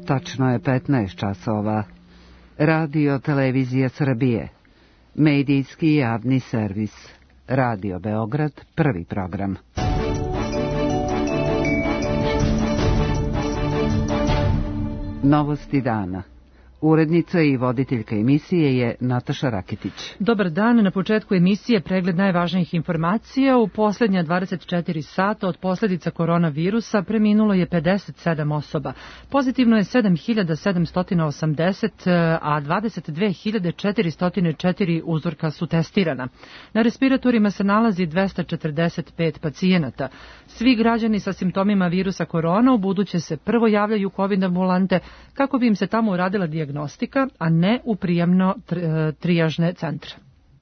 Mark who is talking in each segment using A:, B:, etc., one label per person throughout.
A: Tačno je 15 časova. Radio Televizija Srbije. Medijski javni servis. Radio Beograd, prvi program. Novosti dana. Urednica i voditeljka emisije je Nataša Raketić.
B: Dobar dan, na početku emisije pregled najvažnijih informacija. U posljednja 24 sata od posljedica koronavirusa preminulo je 57 osoba. Pozitivno je 7780, a 22.404 uzorka su testirana. Na respiratorima se nalazi 245 pacijenata. Svi građani sa simptomima virusa korona ubuduće se prvo javljaju u COVID ambulante kako bi im se tamo uradila dijagnostika, a ne u prijemno-trijažne centre.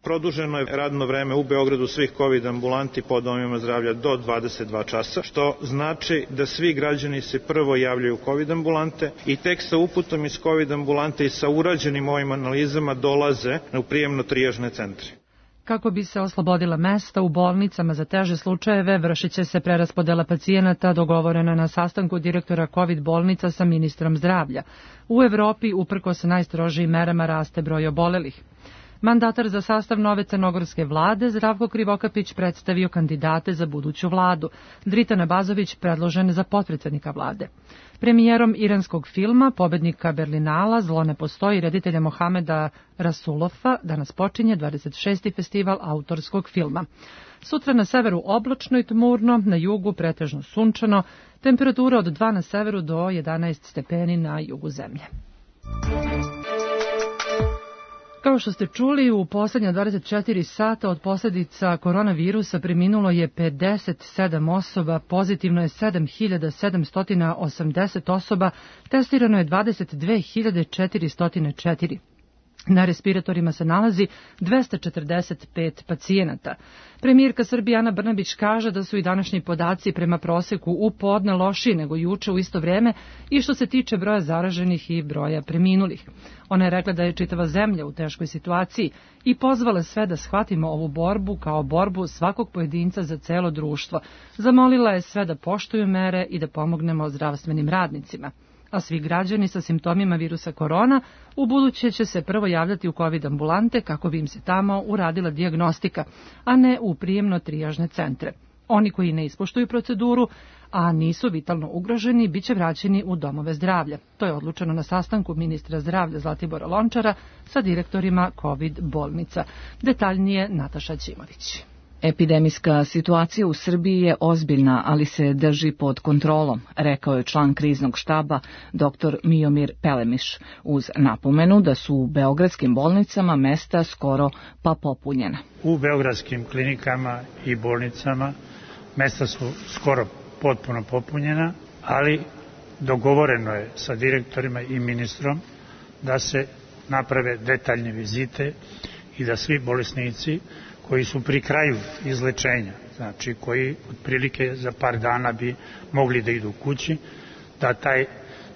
C: Produženo je radno vreme u Beogradu svih COVID ambulanti po domovima zdravlja do 22 časa, što znači da svi građani se prvo javljaju u COVID ambulante i tek sa uputom iz COVID ambulante i sa urađenim ovim analizama dolaze u prijemno-trijažne centre.
B: Kako bi se oslobodila mesta u bolnicama za teže slučajeve, vršit će se preraspodela pacijenata dogovorena na sastanku direktora COVID bolnica sa ministrom zdravlja. U Evropi, uprkos najstrožijim merama, raste broj obolelih. Mandatar za sastav nove crnogorske vlade, Zdravko Krivokapić, predstavio kandidate za buduću vladu. Dritan Abazović predložen za potpredsjednika vlade. Premijerom iranskog filma, pobednika Berlinala, Zlo ne postoji, reditelja Mohameda Rasulofa, danas počinje 26. festival autorskog filma. Sutra na severu oblačno i tmurno, na jugu pretežno sunčano, temperatura od 2 na severu do 11 stepeni na jugu zemlje. Kao što ste čuli, u posljednja 24 sata od posljedica koronavirusa preminulo je 57 osoba, pozitivno je 7780 osoba, testirano je 22.404. Na respiratorima se nalazi 245 pacijenata. Premijerka Srbije Ana Brnabić kaže da su i današnji podaci prema proseku u podne lošiji nego juče u isto vrijeme i što se tiče broja zaraženih i broja preminulih. Ona je rekla da je čitava zemlja u teškoj situaciji i pozvala sve da shvatimo ovu borbu kao borbu svakog pojedinca za celo društvo. Zamolila je sve da poštuju mere i da pomognemo zdravstvenim radnicima. A svi građani sa simptomima virusa korona ubuduće će se prvo javljati u COVID ambulante kako bi im se tamo uradila dijagnostika, a ne u prijemno-trijažne centre. Oni koji ne ispoštuju proceduru, a nisu vitalno ugroženi, bit će vraćeni u domove zdravlja. To je odlučeno na sastanku ministra zdravlja Zlatibora Lončara sa direktorima COVID bolnica. Detaljnije Nataša Ćimović.
D: Epidemijska situacija u Srbiji je ozbiljna, ali se drži pod kontrolom, rekao je član kriznog štaba dr. Miomir Pelemiš, uz napomenu da su u beogradskim bolnicama mesta skoro pa popunjena.
E: U beogradskim klinikama i bolnicama mesta su skoro potpuno popunjena, ali dogovoreno je sa direktorima i ministrom da se naprave detaljne vizite i da svi bolesnici koji su pri kraju izlečenja, znači koji otprilike za par dana bi mogli da idu kući, da taj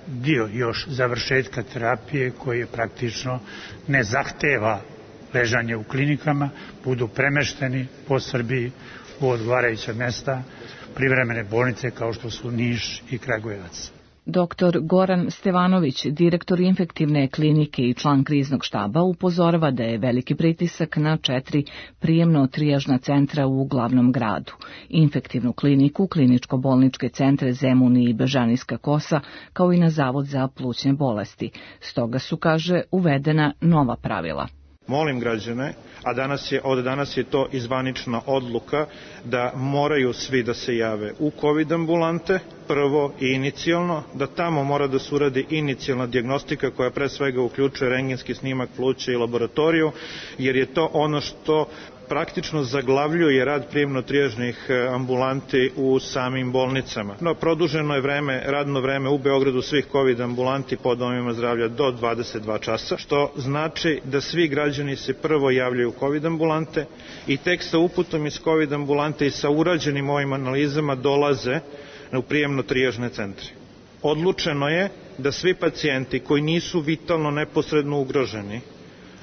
E: dio još završetka terapije koji je praktično ne zahteva ležanje u klinikama, budu premešteni po Srbiji u odgovarajuća mesta, privremene bolnice kao što su Niš i Kragujevac.
D: Dr. Goran Stevanović, direktor infektivne klinike i član kriznog štaba, upozorava da je veliki pritisak na 4 prijemno-trijažna centra u glavnom gradu. Infektivnu kliniku, kliničko-bolničke centre Zemun i Bežanijska Kosa, kao i na Zavod za plućne bolesti. Stoga su, kaže, uvedena nova pravila.
C: Molim građane, a od danas je to i zvanična odluka, da moraju svi da se jave u COVID ambulante, prvo i inicijalno, da tamo mora da se uradi inicijalna dijagnostika koja pre svega uključuje rentgenski snimak pluća i laboratoriju, jer je to ono što praktično zaglavljuje rad prijemno-trijažnih ambulanti u samim bolnicama. No, produženo je radno vreme u Beogradu svih COVID ambulanti po domovima zdravlja do 22 časa, što znači da svi građani se prvo javljaju u COVID ambulante i tek sa uputom iz COVID ambulante i sa urađenim ovim analizama dolaze u prijemno-trijažne centre. Odlučeno je da svi pacijenti koji nisu vitalno neposredno ugroženi,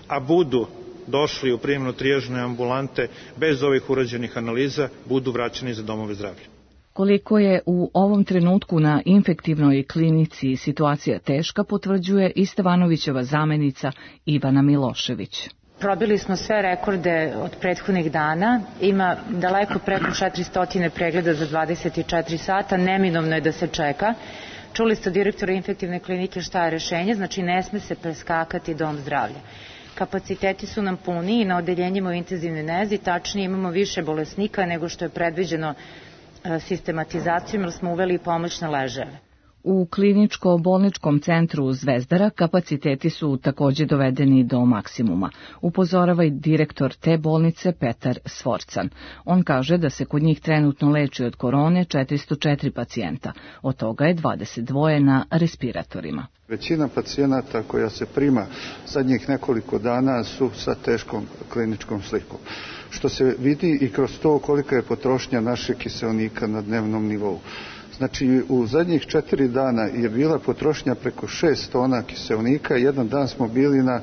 C: a budu došli u prijemno-trijažne ambulante bez ovih urađenih analiza, budu vraćeni za domove zdravlja.
D: Koliko je u ovom trenutku na infektivnoj klinici situacija teška, potvrđuje i Stevanovićeva zamenica Ivana Milošević.
F: Probili smo sve rekorde od prethodnih dana, ima daleko preko 400 pregleda za 24 sata, neminovno je da se čeka. Čuli ste od direktora infektivne klinike šta je rešenje, znači ne sme se preskakati dom zdravlja. Kapaciteti su nam puni i na odeljenjima u intenzivnoj nezi, tačnije imamo više bolesnika nego što je predviđeno sistematizacijom, jer smo uveli i pomoćne ležajeve.
D: U kliničko-bolničkom centru Zvezdara kapaciteti su takođe dovedeni do maksimuma, upozorava i direktor te bolnice Petar Svorcan. On kaže da se kod njih trenutno leči od korone 404 pacijenta, od toga je 22 na respiratorima.
G: Većina pacijenata koja se prima zadnjih nekoliko dana su sa teškom kliničkom slikom, što se vidi i kroz to kolika je potrošnja našeg kiseonika na dnevnom nivou. Znači, u zadnjih 4 dana je bila potrošnja preko 6 tona kiseonika, jedan dan smo bili na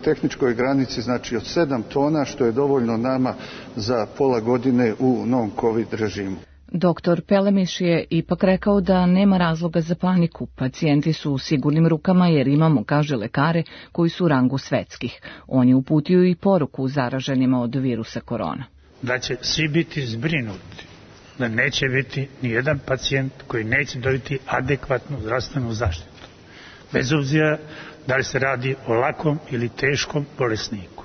G: tehničkoj granici, znači od 7 tona, što je dovoljno nama za pola godine u non-covid režimu.
D: Doktor Pelemiš je ipak rekao da nema razloga za paniku. Pacijenti su u sigurnim rukama jer imamo, kaže, lekare koji su u rangu svetskih. On je uputio i poruku zaraženima od virusa korona.
E: Da će svi biti zbrinuti, da neće biti nijedan pacijent koji neće dobiti adekvatnu zdravstvenu zaštitu. Bez obzira da li se radi o lakom ili teškom bolesniku.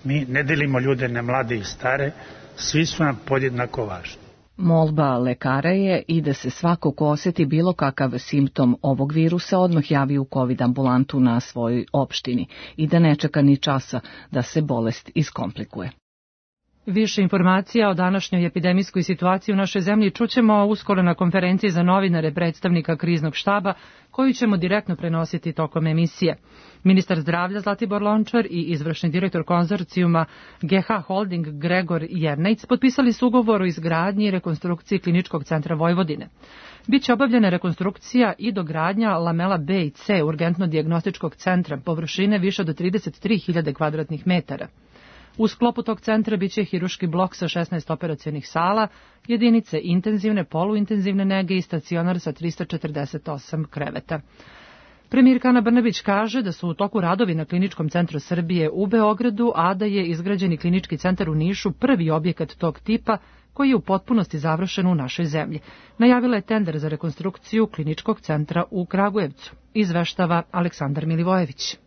E: Mi ne delimo ljude na mlade i stare, svi su nam podjednako važni.
D: Molba lekara je i da se svako ko osjeti bilo kakav simptom ovog virusa odmah javi u COVID ambulantu na svojoj opštini i da ne čeka ni časa da se bolest iskomplikuje.
B: Više informacija o današnjoj epidemijskoj situaciji u našoj zemlji čućemo uskoro na konferenciji za novinare predstavnika kriznog štaba, koju ćemo direktno prenositi tokom emisije. Ministar zdravlja Zlatibor Lončar i izvršni direktor konzorcijuma GH Holding Gregor Jernejc potpisali su ugovor o izgradnji i rekonstrukciji Kliničkog centra Vojvodine. Biće obavljena rekonstrukcija i dogradnja lamela B i C urgentno-dijagnostičkog centra površine više do 33.000 kvadratnih metara. U sklopu tog centra biće hiruški blok sa 16 operacionih sala, jedinice intenzivne, poluintenzivne nege i stacionar sa 348 kreveta. Premijerka Ana Brnabić kaže da su u toku radovi na Kliničkom centru Srbije u Beogradu, a da je izgrađeni klinički centar u Nišu prvi objekat tog tipa koji je u potpunosti završen u našoj zemlji. Najavila je tender za rekonstrukciju Kliničkog centra u Kragujevcu. Izveštava Aleksandar Milivojević.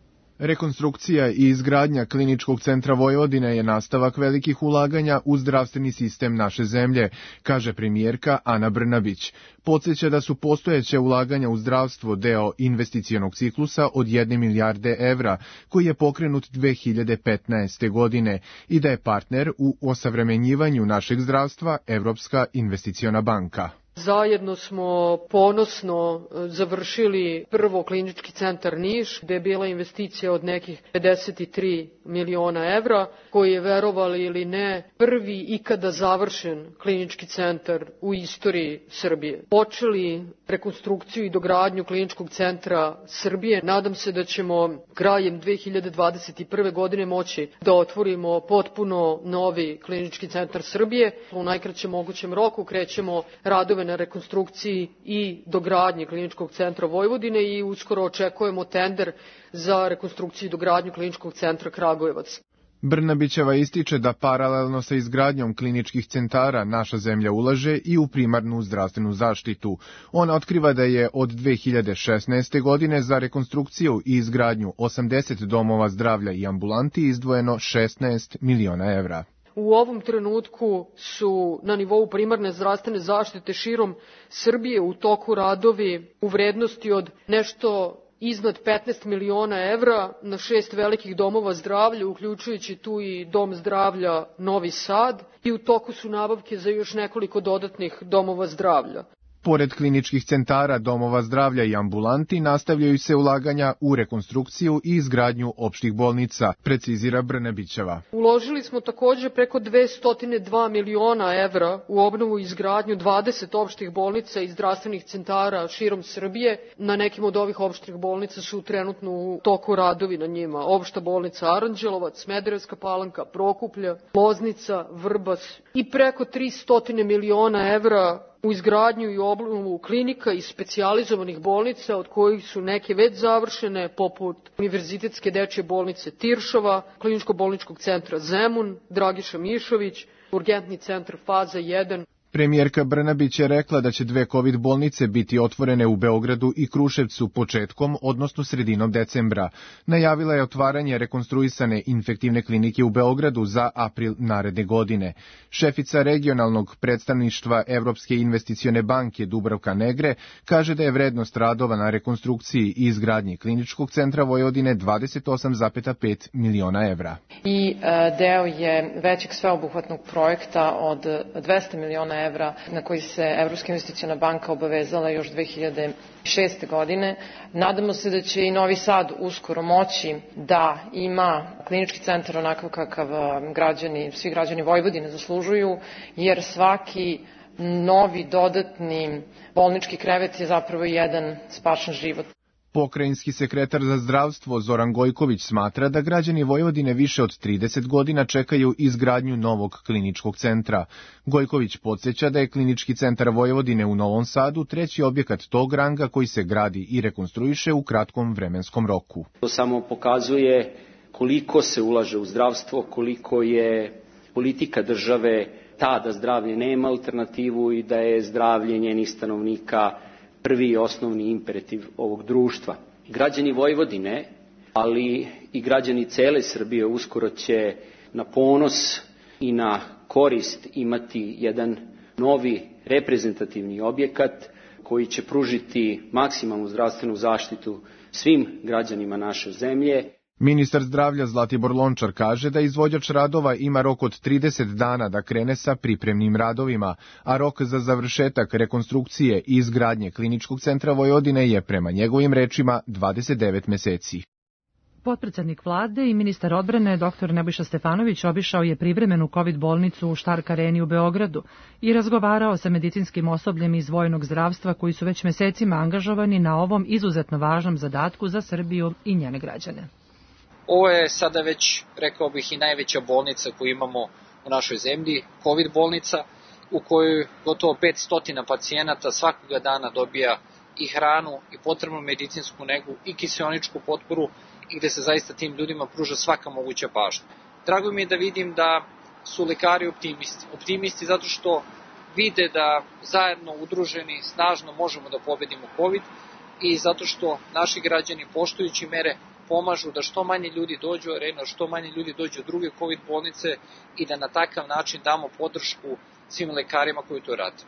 H: Rekonstrukcija i izgradnja Kliničkog centra Vojvodine je nastavak velikih ulaganja u zdravstveni sistem naše zemlje, kaže premijerka Ana Brnabić. Podsjeća da su postojeće ulaganja u zdravstvo deo investicionog ciklusa od 1 milijarde evra, koji je pokrenut 2015. godine i da je partner u osavremenjivanju našeg zdravstva Evropska investiciona banka.
I: Zajedno smo ponosno završili prvo klinički centar Niš, gde je bila investicija od nekih 53 miliona evra, koji je, verovali ili ne, prvi ikada završen klinički centar u istoriji Srbije. Počeli rekonstrukciju i dogradnju Kliničkog centra Srbije. Nadam se da ćemo krajem 2021. godine moći da otvorimo potpuno novi Klinički centar Srbije. U najkraćem mogućem roku krećemo radove na rekonstrukciji i dogradnji Kliničkog centra Vojvodine i uskoro očekujemo tender za rekonstrukciju i dogradnju Kliničkog centra Kragujevac.
H: Brnabićeva ističe da paralelno sa izgradnjom kliničkih centara naša zemlja ulaže i u primarnu zdravstvenu zaštitu. Ona otkriva da je od 2016. godine za rekonstrukciju i izgradnju 80 domova zdravlja i ambulanti izdvojeno 16 miliona evra.
I: U ovom trenutku su na nivou primarne zdravstvene zaštite širom Srbije u toku radovi u vrednosti od nešto iznad 15 miliona evra na 6 velikih domova zdravlja, uključujući tu i Dom zdravlja Novi Sad, i u toku su nabavke za još nekoliko dodatnih domova zdravlja.
H: Pored kliničkih centara, domova zdravlja i ambulanti, nastavljaju se ulaganja u rekonstrukciju i izgradnju opštih bolnica, precizira Brnabićeva.
I: Uložili smo takođe preko 202 miliona evra u obnovu i izgradnju 20 opštih bolnica i zdravstvenih centara širom Srbije. Na nekim od ovih opštih bolnica su trenutno u toku radovi na njima. Opšta bolnica Aranđelovac, Smederevska Palanka, Prokuplje, Loznica, Vrbas i preko 300 miliona evra u izgradnju i obnovu klinika i specijalizovanih bolnica, od kojih su neke već završene, poput Univerzitetske dečje bolnice Tiršova, Kliničko-bolničkog centra Zemun, Dragiša Mišović, Urgentni centar Faza 1.
H: Premijerka Brnabić je rekla da će 2 COVID bolnice biti otvorene u Beogradu i Kruševcu početkom, odnosno sredinom decembra. Najavila je otvaranje rekonstruisane infektivne klinike u Beogradu za april naredne godine. Šefica regionalnog predstavništva Evropske investicione banke Dubravka Negre kaže da je vrednost radova na rekonstrukciji i izgradnji Kliničkog centra Vojvodine 28,5 miliona evra.
J: I deo je većeg sveobuhvatnog projekta od 200 miliona evra na koji se Evropska investiciona banka obavezala još 2006. godine. Nadamo se da će i Novi Sad uskoro moći da ima klinički centar onakav kakav svi građani Vojvodine zaslužuju, jer svaki novi dodatni bolnički krevet je zapravo jedan spašen život.
H: Pokrajinski sekretar za zdravstvo Zoran Gojković smatra da građani Vojvodine više od 30 godina čekaju izgradnju novog kliničkog centra. Gojković podsjeća da je Klinički centar Vojvodine u Novom Sadu treći objekat tog ranga koji se gradi i rekonstruiše u kratkom vremenskom roku.
K: To samo pokazuje koliko se ulaže u zdravstvo, koliko je politika države ta da zdravlje nema alternativu i da je zdravlje njenih stanovnika prvi i osnovni imperativ ovog društva. Građani Vojvodine, ali i građani cele Srbije uskoro će na ponos i na korist imati jedan novi reprezentativni objekat koji će pružiti maksimalnu zdravstvenu zaštitu svim građanima naše zemlje.
H: Ministar zdravlja Zlatibor Lončar kaže da izvođač radova ima rok od 30 dana da krene sa pripremnim radovima, a rok za završetak rekonstrukcije i izgradnje Kliničkog centra Vojvodine je prema njegovim rečima 29 meseci.
B: Potpredsednik vlade i ministar odbrane dr. Nebojša Stefanović obišao je privremenu COVID bolnicu u Štark areni u Beogradu i razgovarao sa medicinskim osobljem iz vojnog zdravstva koji su već mesecima angažovani na ovom izuzetno važnom zadatku za Srbiju i njene građane.
L: Ovo je sada već, rekao bih, i najveća bolnica koju imamo u našoj zemlji, COVID bolnica, u kojoj gotovo 500 pacijenata svakoga dana dobija i hranu, i potrebnu medicinsku negu, i kiseoničku potporu, i gde se zaista tim ljudima pruža svaka moguća pažnja. Drago mi je da vidim da su lekari optimisti. Optimisti zato što vide da zajedno udruženi snažno možemo da pobedimo COVID i zato što naši građani poštujući mere pomažu da što manje ljudi dođu u arenu, što manje ljudi dođu u druge COVID bolnice i da na takav način damo podršku svim lekarima koji to rade.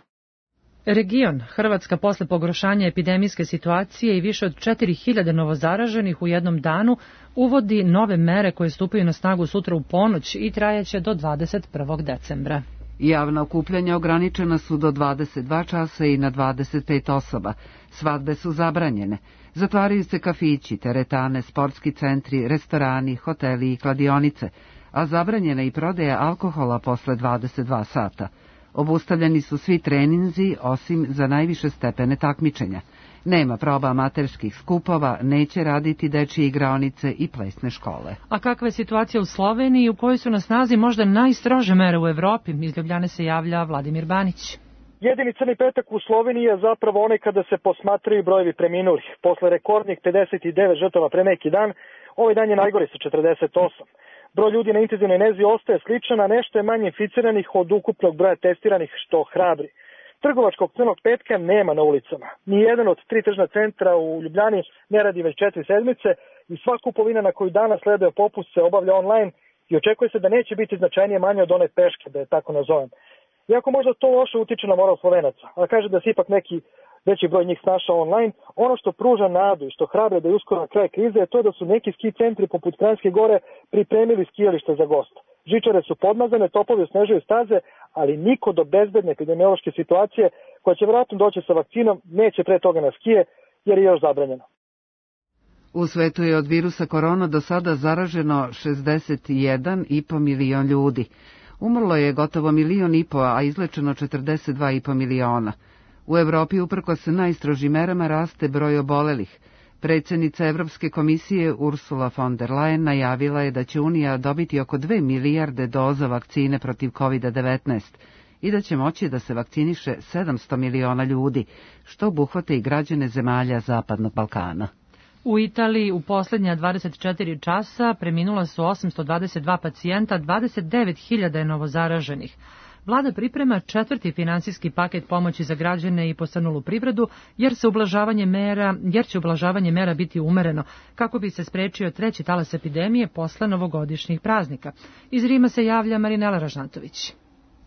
B: Region Hrvatska posle pogoršanja epidemijske situacije i više od 4000 novozaraženih u jednom danu uvodi nove mere koje stupaju na snagu sutra u ponoć i trajaće do 21. decembra.
A: Javna okupljanja ograničena su do 22 časa i na 25 osoba. Svadbe su zabranjene. Zatvaraju se kafići, teretane, sportski centri, restorani, hoteli i kladionice, a zabranjena i prodaja alkohola posle 22 sata. Obustavljeni su svi treninzi osim za najviše stepene takmičenja. Nema proba amaterskih skupova, neće raditi dečije igraonice i plesne škole.
B: A kakva je situacija u Sloveniji u kojoj su na snazi možda najstrože mere u Evropi? Iz Ljubljane se javlja Vladimir Banić.
M: Jedini crni petak u Sloveniji je zapravo onaj kada se posmatraju brojevi preminulih. Posle rekordnih 59 žrtava pre neki dan, ovaj dan je najgori sa 48. Broj ljudi na intenzivnoj nezi ostaje sličan, a nešto je manje inficiranih od ukupnog broja testiranih, što hrabri. Trgovačkog crnog petka nema na ulicama. Nijedan od 3 tržna centra u Ljubljani ne radi već 4 sedmice i sva kupovina na koju danas sleduje popust se obavlja online i očekuje se da neće biti značajnije manje od one peške, da je tako nazovem. Iako možda to loše utiče na moral Slovenaca, a kaže da se ipak neki veći broj njih snašao online, ono što pruža nadu i što hrabre da je uskoro na kraj krize je to da su neki ski centri poput Kranjske gore pripremili skijalište za goste. Žičare su podmazane, topovi osnežuju staze, ali niko do bezbedne epidemiološke situacije koja će vjerojatno doći sa vakcinom, neće pre toga na skije jer je još zabranjeno.
A: U svetu je od virusa korona do sada zaraženo 61,5 milion ljudi. Umrlo je gotovo 1,5 miliona, a izlečeno 42,5 miliona. U Evropi uprkos najstrožim merama raste broj obolelih. Predsjednica Evropske komisije Ursula von der Leyen najavila je da će Unija dobiti oko 2 milijarde doza vakcine protiv COVID-19 i da će moći da se vakciniše 700 miliona ljudi, što obuhvata i građane zemalja Zapadnog Balkana.
B: U Italiji u posljednja 24 časa preminula su 822 pacijenta, 29.000 je novozaraženih. Vlada priprema 4. finansijski paket pomoći za građane i posrnulu privredu, jer će ublažavanje mera biti umereno, kako bi se sprečio 3. talas epidemije posle novogodišnjih praznika. Iz Rima se javlja Marinela Ražnatović.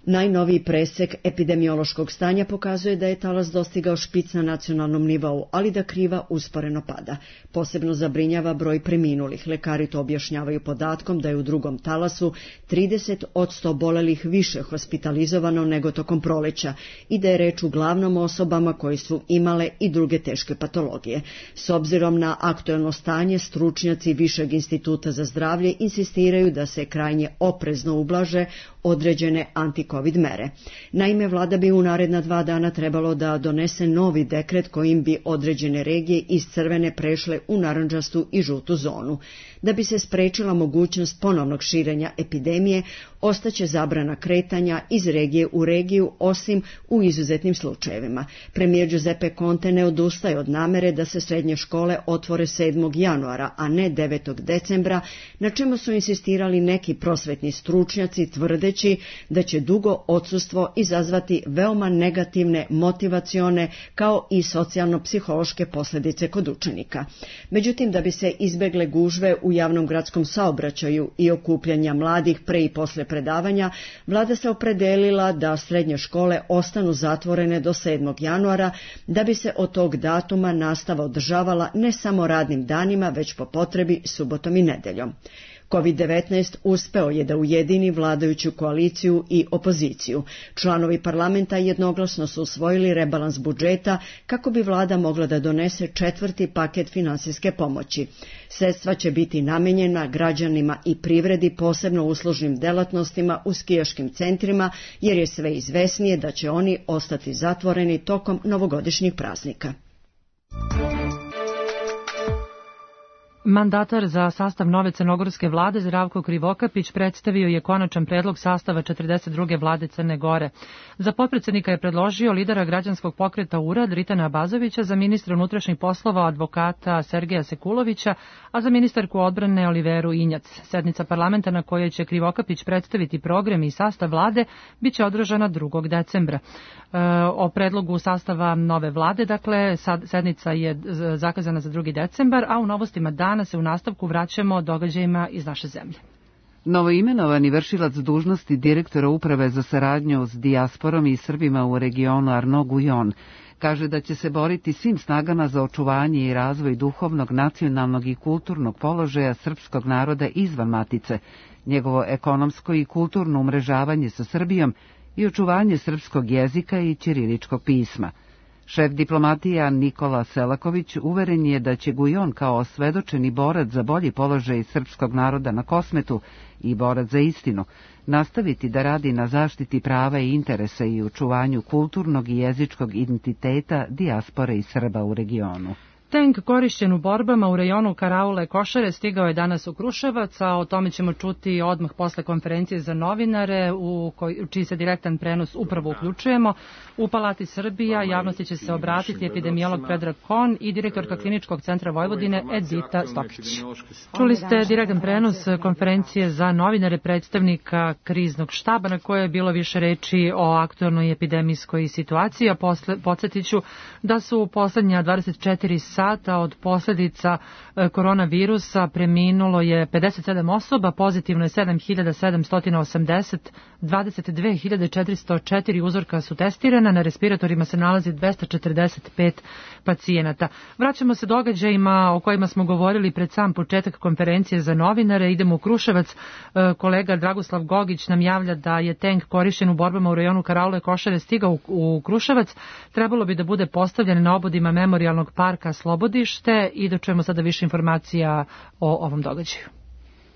N: Najnoviji presek epidemiološkog stanja pokazuje da je talas dostigao špic na nacionalnom nivou, ali da kriva usporeno pada. Posebno zabrinjava broj preminulih. Lekari to objašnjavaju podatkom da je u drugom talasu 30 od 100 obolelih više hospitalizovano nego tokom proleća i da je reč uglavnom osobama koji su imale i druge teške patologije. S obzirom na aktuelno stanje, stručnjaci Višeg instituta za zdravlje insistiraju da se krajnje oprezno ublaže određene anti-covid mere. Naime, vlada bi u naredna 2 dana trebalo da donese novi dekret kojim bi određene regije iz crvene prešle u narandžastu i žutu zonu. Da bi se sprečila mogućnost ponovnog širenja epidemije, ostaće zabrana kretanja iz regije u regiju, osim u izuzetnim slučajevima. Premijer Giuseppe Conte ne odustaje od namere da se srednje škole otvore 7. januara, a ne 9. decembra, na čemu su insistirali neki prosvetni stručnjaci tvrdeći da će dugo odsustvo izazvati veoma negativne motivacione kao i socijalno-psihološke posljedice kod učenika. Međutim, da bi se izbegle gužve u javnom gradskom saobraćaju i okupljanja mladih pre i posle predavanja, vlada se opredelila da srednje škole ostanu zatvorene do 7. januara, da bi se od tog datuma nastava održavala ne samo radnim danima, već po potrebi subotom i nedeljom. COVID-19 uspeo je da ujedini vladajuću koaliciju i opoziciju. Članovi parlamenta jednoglasno su usvojili rebalans budžeta kako bi vlada mogla da donese 4. paket finansijske pomoći. Sredstva će biti namenjena građanima i privredi, posebno uslužnim delatnostima u skijaškim centrima, jer je sve izvesnije da će oni ostati zatvoreni tokom novogodišnjih praznika.
B: Mandatar za sastav nove crnogorske vlade Zdravko Krivokapić predstavio je konačan predlog sastava 42. vlade Crne Gore. Za potpredsednika je predložio lidera građanskog pokreta URAD Ritana Abazovića, za ministra unutrašnjih poslova advokata Sergeja Sekulovića, a za ministarku odbrane Oliveru Injac. Sednica parlamenta na kojoj će Krivokapić predstaviti program i sastav vlade biće održana 2. decembra. O predlogu sastava nove vlade, dakle, sednica je zakazana za 2. decembar, a u novostima dana se u nastavku vraćamo događajima iz naše zemlje.
A: Novoimenovani vršilac dužnosti direktora Uprave za saradnju s dijasporom i Srbima u regionu Arnaud Guyon kaže da će se boriti svim snagama za očuvanje i razvoj duhovnog, nacionalnog i kulturnog položaja srpskog naroda izvan matice, njegovo ekonomsko i kulturno umrežavanje sa Srbijom i očuvanje srpskog jezika i ćiriličkog pisma. Šef diplomatija Nikola Selaković uveren je da će Guyon kao osvedočeni borac za bolji položaj srpskog naroda na Kosmetu i borac za istinu nastaviti da radi na zaštiti prava i interesa i očuvanju kulturnog i jezičkog identiteta dijaspore i Srba u regionu.
B: Tank korišćen u borbama u rejonu Karaule Košare stigao je danas u Kruševac, a o tome ćemo čuti odmah posle konferencije za novinare u čiji se direktan prenos upravo uključujemo. U Palati Srbija javnosti će se obratiti epidemiolog Predrag Kon i direktorka Kliničkog centra Vojvodine Edita Stokić. Čuli ste direktan prenos konferencije za novinare predstavnika kriznog štaba na kojoj je bilo više reči o aktualnoj epidemijskoj situaciji, a podsjetiću da su u poslednja 24 sata sata od posljedica koronavirusa preminulo je 57 osoba, pozitivno je 7780, 22.404 uzorka su testirana, na respiratorima se nalazi 245 pacijenata. Vraćamo se događajima o kojima smo govorili pred sam početak konferencije za novinare. Idemo u Kruševac. Kolega Dragoslav Gogić nam javlja da je tank korišćen u borbama u rajonu Karaule Košare stigao u Kruševac. Trebalo bi da bude postavljen na obodima Memorijalnog parka Slobodište i da čujemo sada više informacija o ovom događaju.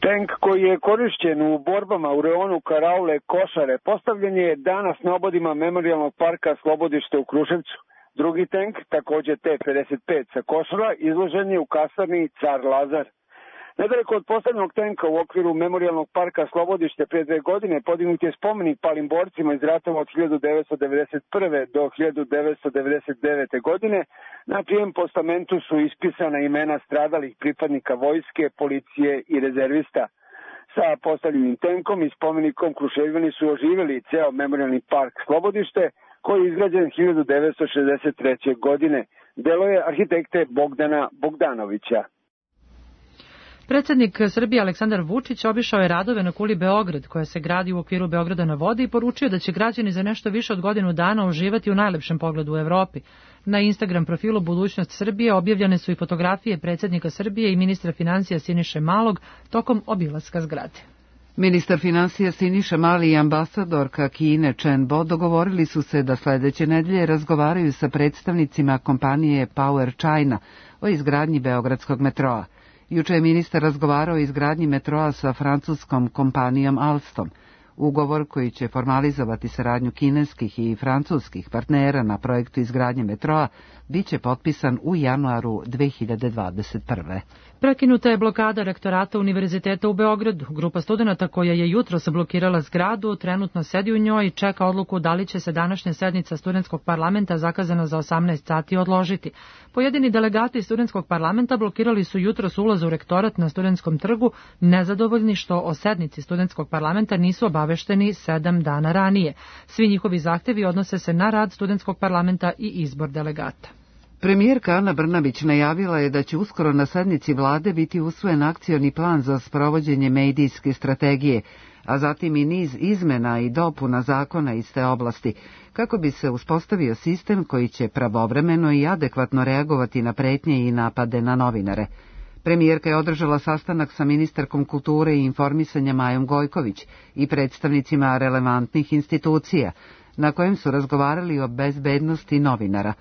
O: Tank koji je korišćen u borbama u rajonu Karaule Košare postavljen je danas na obodima Memorijalnog parka Slobodište u Kruševcu. Drugi tank, također T-55 sa Košara, izložen je u kasarni Car Lazar. Nedaleko od postavljenog tenka u okviru Memorijalnog parka Slobodište prije 2 godine podignut je spomenik palim borcima iz ratova od 1991. do 1999. godine. Na čijem postamentu su ispisana imena stradalih pripadnika vojske, policije i rezervista. Sa postavljenim tenkom i spomenikom Kruševljani su oživjeli ceo Memorijalni park Slobodište, koji je izgrađen 1963. godine. Delo je arhitekte Bogdana Bogdanovića.
B: Predsjednik Srbije Aleksandar Vučić obišao je radove na kuli Beograd, koja se gradi u okviru Beograda na vodi, i poručio da će građani za nešto više od godinu dana uživati u najlepšem pogledu u Evropi. Na Instagram profilu Budućnost Srbije objavljene su i fotografije predsjednika Srbije i ministra financija Siniše Malog tokom obilaska zgrade.
A: Ministar financija Siniša Mali i ambasadorka Kine Chen Bo dogovorili su se da sledeće nedelje razgovaraju sa predstavnicima kompanije Power China o izgradnji beogradskog metroa. Juče je ministar razgovarao o izgradnji metroa sa francuskom kompanijom Alstom. Ugovor koji će formalizovati saradnju kineskih i francuskih partnera na projektu izgradnje metroa biće potpisan u januaru 2021.
B: Prekinuta je blokada rektorata Univerziteta u Beogradu. Grupa studenata koja je jutros blokirala zgradu trenutno sedi u njoj i čeka odluku da li će se današnja sednica studentskog parlamenta zakazana za 18 sati odložiti. Pojedini delegati studentskog parlamenta blokirali su jutros ulaz u rektorat na Studentskom trgu, nezadovoljni što o sednici studentskog parlamenta nisu obavešteni 7 dana ranije. Svi njihovi zahtevi odnose se na rad studentskog parlamenta i izbor delegata.
A: Premijerka Ana Brnabić najavila je da će uskoro na sednici vlade biti usvojen akcioni plan za sprovođenje medijske strategije, a zatim i niz izmena i dopuna zakona iz te oblasti, kako bi se uspostavio sistem koji će pravovremeno i adekvatno reagovati na pretnje i napade na novinare. Premijerka je održala sastanak sa ministarkom kulture i informisanja Majom Gojković i predstavnicima relevantnih institucija, na kojem su razgovarali o bezbednosti novinara.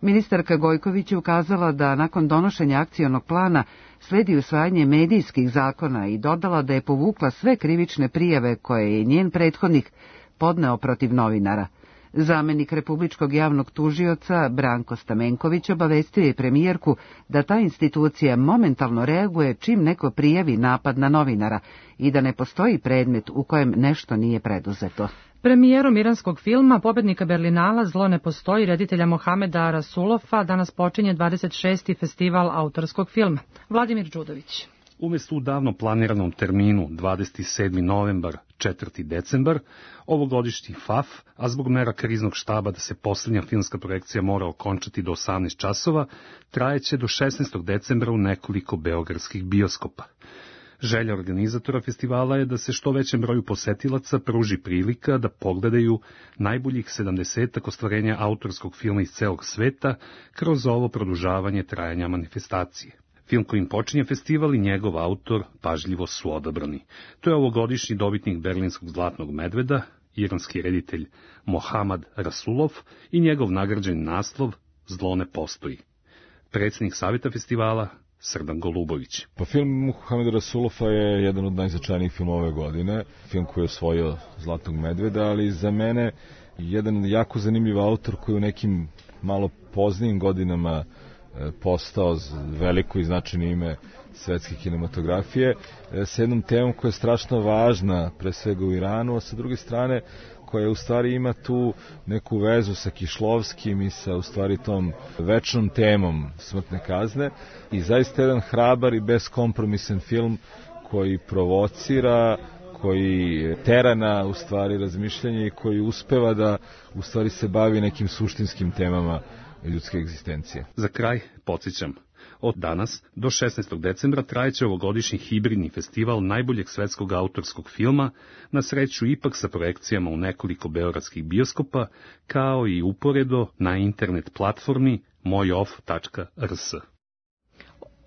A: Ministarka Gojković je ukazala da nakon donošenja akcionog plana sledi usvajanje medijskih zakona i dodala da je povukla sve krivične prijave koje je njen prethodnik podneo protiv novinara. Zamenik Republičkog javnog tužioca Branko Stamenković obavestio je premijerku da ta institucija momentalno reaguje čim neko prijavi napad na novinara i da ne postoji predmet u kojem nešto nije preduzeto.
B: Premijerom iranskog filma, pobednika Berlinala Zlo ne postoji, reditelja Mohameda Rasulofa, danas počinje 26. festival autorskog filma. Vladimir Đudović.
P: Umjesto u davno planiranom terminu 27. novembar, 4. decembar, ovogodišnji FAF, a zbog mera kriznog štaba da se posljednja filmska projekcija mora okončati do 18 časova, trajeće do 16. decembra u nekoliko beogradskih bioskopa. Želja organizatora festivala je da se što većem broju posetilaca pruži prilika da pogledaju najboljih 70 ostvarenja autorskog filma iz celog sveta kroz ovo produžavanje trajanja manifestacije. Film kojim počinje festival i njegov autor pažljivo su odabrani. To je ovogodišnji dobitnik Berlinskog zlatnog medveda, iranski reditelj Mohamed Rasulov i njegov nagrađeni naslov Zlo ne postoji. Predsjednik savjeta festivala Srdan Golubović.
Q: Pa film Mohameda Rasulova je jedan od najznačajnijih filmova ove godine, film koji je osvojio Zlatnog medveda, ali za mene jedan jako zanimljiv autor koji u nekim malo poznijim godinama postao veliko i značajno ime svetske kinematografije, sa jednom temom koja je strašno važna, pre svega u Iranu, a sa druge strane koja u stvari ima tu neku vezu sa Kišlovskim i sa u stvari tom večnom temom smrtne kazne i zaista jedan hrabar i beskompromisan film koji provocira, koji tera na u stvari razmišljanje i koji uspeva da u stvari se bavi nekim suštinskim temama ljudske egzistencije.
P: Za kraj podsjećam, od danas do 16. decembra trajeće ovogodišnji hibridni festival najboljeg svetskog autorskog filma, na sreću ipak sa projekcijama u nekoliko beogradskih bioskopa, kao i uporedo na internet platformi mojof.rs.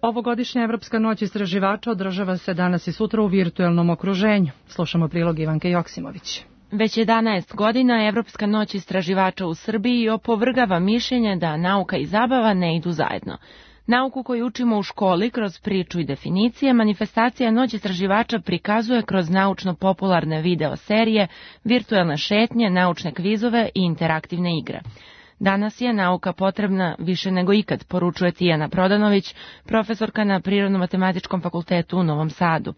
B: Ovogodišnja Evropska noć istraživača održava se danas i sutra u virtuelnom okruženju. Slušamo prilog Ivanke Joksimović.
R: Već 11 godina Evropska noć istraživača u Srbiji opovrgava mišljenje da nauka i zabava ne idu zajedno. Nauku koju učimo u školi kroz priču i definicije, manifestacija Noć istraživača prikazuje kroz naučno-popularne video serije, virtuelne šetnje, naučne kvizove i interaktivne igre. Danas je nauka potrebna više nego ikad, poručuje Tijana Prodanović, profesorka na Prirodno-matematičkom fakultetu u Novom Sadu.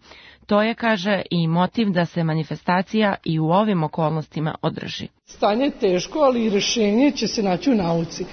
R: To je, kaže, i motiv da se manifestacija i u ovim okolnostima održi.
S: Stanje je teško, ali i rešenje će se naći u nauci.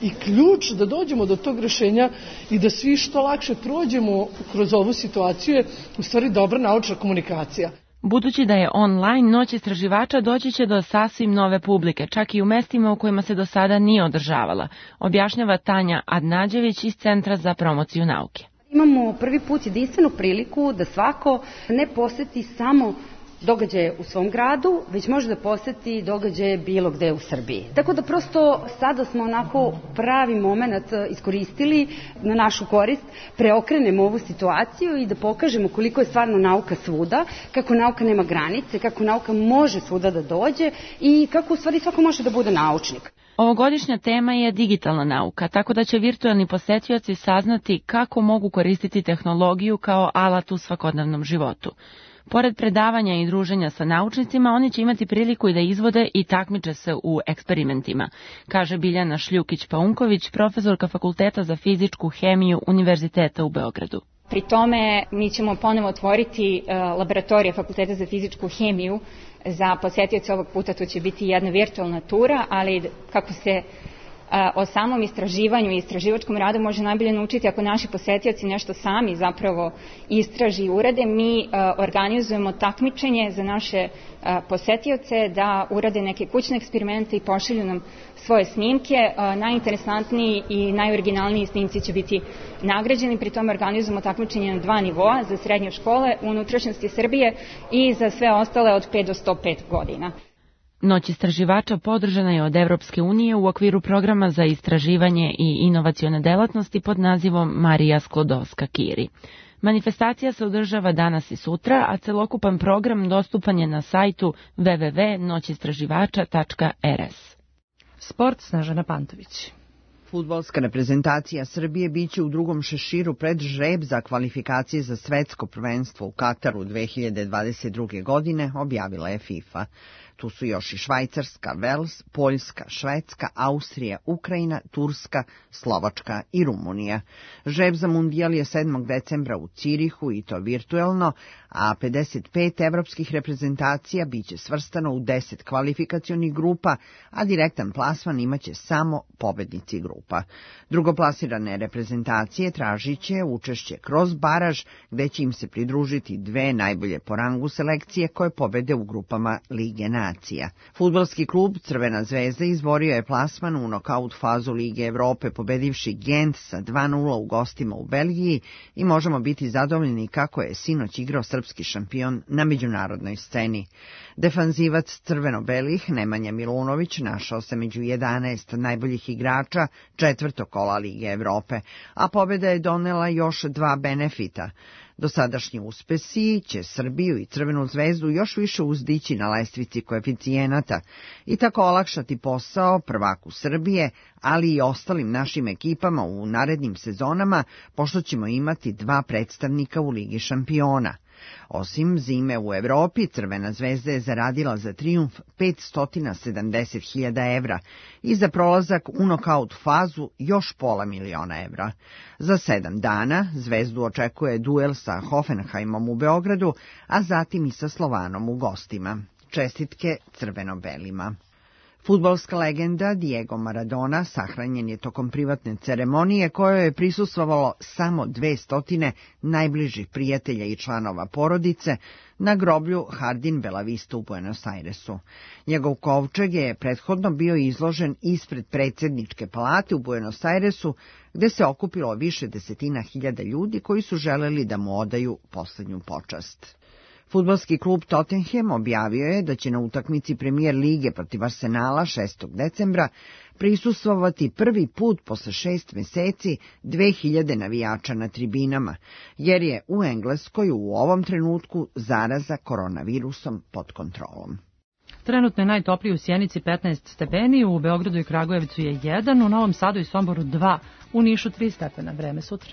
S: I ključ da dođemo do tog rešenja i da svi što lakše prođemo kroz ovu situaciju je u stvari dobra naučna komunikacija.
R: Budući da je online, Noć istraživača doći će do sasvim nove publike, čak i u mestima u kojima se do sada nije održavala, objašnjava Tanja Adnađević iz Centra za promociju nauke.
T: Imamo prvi put jedinstvenu priliku da svako ne poseti samo događaje u svom gradu, već može da poseti događaje bilo gde u Srbiji. Tako da prosto sada smo onako pravi moment iskoristili na našu korist, preokrenemo ovu situaciju i da pokažemo koliko je stvarno nauka svuda, kako nauka nema granice, kako nauka može svuda da dođe i kako u stvari svako može da bude naučnik.
R: Ovogodišnja tema je digitalna nauka, tako da će virtuelni posetioci saznati kako mogu koristiti tehnologiju kao alat u svakodnevnom životu. Pored predavanja i druženja sa naučnicima, oni će imati priliku i da izvode i takmiče se u eksperimentima, kaže Biljana Šljukić-Paunković, profesorka Fakulteta za fizičku hemiju Univerziteta u Beogradu.
U: Pri tome mi ćemo ponovo otvoriti laboratorije Fakulteta za fizičku hemiju za posetioce. Ovog puta to će biti jedna virtualna tura, ali kako se o samom istraživanju i istraživačkom radu može najbolje naučiti ako naši posetioci nešto sami zapravo istraži i urade. Mi organizujemo takmičenje za naše posetioce da urade neke kućne eksperimente i pošalju nam svoje snimke. Najinteresantniji i najoriginalniji snimci će biti nagrađeni. Pri tome organizujemo takmičenje na 2 nivoa, za srednje škole u unutrašnjosti Srbije i za sve ostale od 5 do 105 godina.
R: Noć istraživača podržana je od Evropske unije u okviru programa za istraživanje i inovacione delatnosti pod nazivom Marija Sklodowska-Curie. Manifestacija se održava danas i sutra, a celokupan program dostupan je na sajtu www.noćistraživača.rs.
B: Sport, Snežana Pantović.
V: Fudbalska reprezentacija Srbije biće u drugom šeširu pred žreb za kvalifikacije za svetsko prvenstvo u Kataru 2022. godine, objavila je FIFA. Tu su još i Švajcarska, Vels, Poljska, Švedska, Austrija, Ukrajina, Turska, Slovačka i Rumunija. Žreb za mundijal je 7. decembra u Cirihu i to virtuelno, a 55 evropskih reprezentacija biće svrstano u 10 kvalifikacionih grupa, a direktan plasman imaće samo pobednici grupa. Drugoplasirane reprezentacije tražit će učešće kroz baraž, gde će im se pridružiti 2 najbolje po rangu selekcije koje pobede u grupama Lige nacija. Fudbalski klub Crvena zvezda izborio je plasman u nokaut fazu Lige Evrope, pobedivši Gent sa 2:0 u gostima u Belgiji i možemo biti zadovoljni kako je sinoć igrao srpski šampion na međunarodnoj sceni. Defanzivac crveno-belih Nemanja Milunović našao se među 11 najboljih igrača 4. kola Lige Evrope, a pobjeda je donela još 2 benefita. Dosadašnji uspesi će Srbiju i Crvenu zvezdu još više uzdići na lestvici koeficijenata i tako olakšati posao prvaku Srbije, ali i ostalim našim ekipama u narednim sezonama, pošto ćemo imati 2 predstavnika u Ligi šampiona. Osim zime u Evropi, Crvena zvezda je zaradila za trijumf 570.000 evra i za prolazak u nokaut fazu još $500.000 evra. Za 7 dana zvezdu očekuje duel sa Hoffenheimom u Beogradu, a zatim i sa Slovanom u gostima. Čestitke crveno-belima. Fudbalska legenda Diego Maradona sahranjen je tokom privatne ceremonije kojoj je prisustvovalo samo 200 najbližih prijatelja i članova porodice na groblju Jardín Bellavista u Buenos Airesu. Njegov kovčeg je prethodno bio izložen ispred predsjedničke palate u Buenos Airesu, gde se okupilo više desetina hiljada ljudi koji su želeli da mu odaju poslednju počast. Fudbalski klub Tottenham objavio je da će na utakmici Premier lige protiv Arsenala 6. decembra prisustvovati prvi put posle 6 meseci 2000 navijača na tribinama, jer je u Engleskoj u ovom trenutku zaraza koronavirusom pod kontrolom.
B: Trenutno je najtopliji u Sjenici 15 stepeni, u Beogradu i Kragujevcu je 1, u Novom Sadu i Somboru 2, u Nišu 3 stepena. Vreme sutra.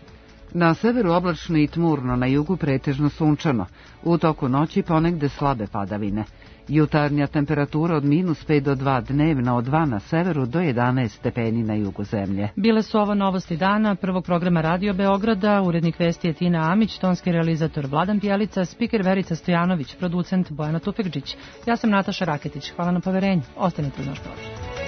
A: Na severu oblačno i tmurno, na jugu pretežno sunčano. U toku noći ponegde slabe padavine. Jutarnja temperatura od -5 do 2, dnevna od 2 na severu do 11 stepeni na jugu zemlje.
B: Bile su ovo novosti dana prvog programa Radio Beograda, urednik vesti je Tina Amić, tonski realizator Vladan Pjelica, spiker Verica Stojanović, producent Bojana Tufekđić. Ja sam Nataša Raketić. Hvala na poverenju. Ostanite uz naš program.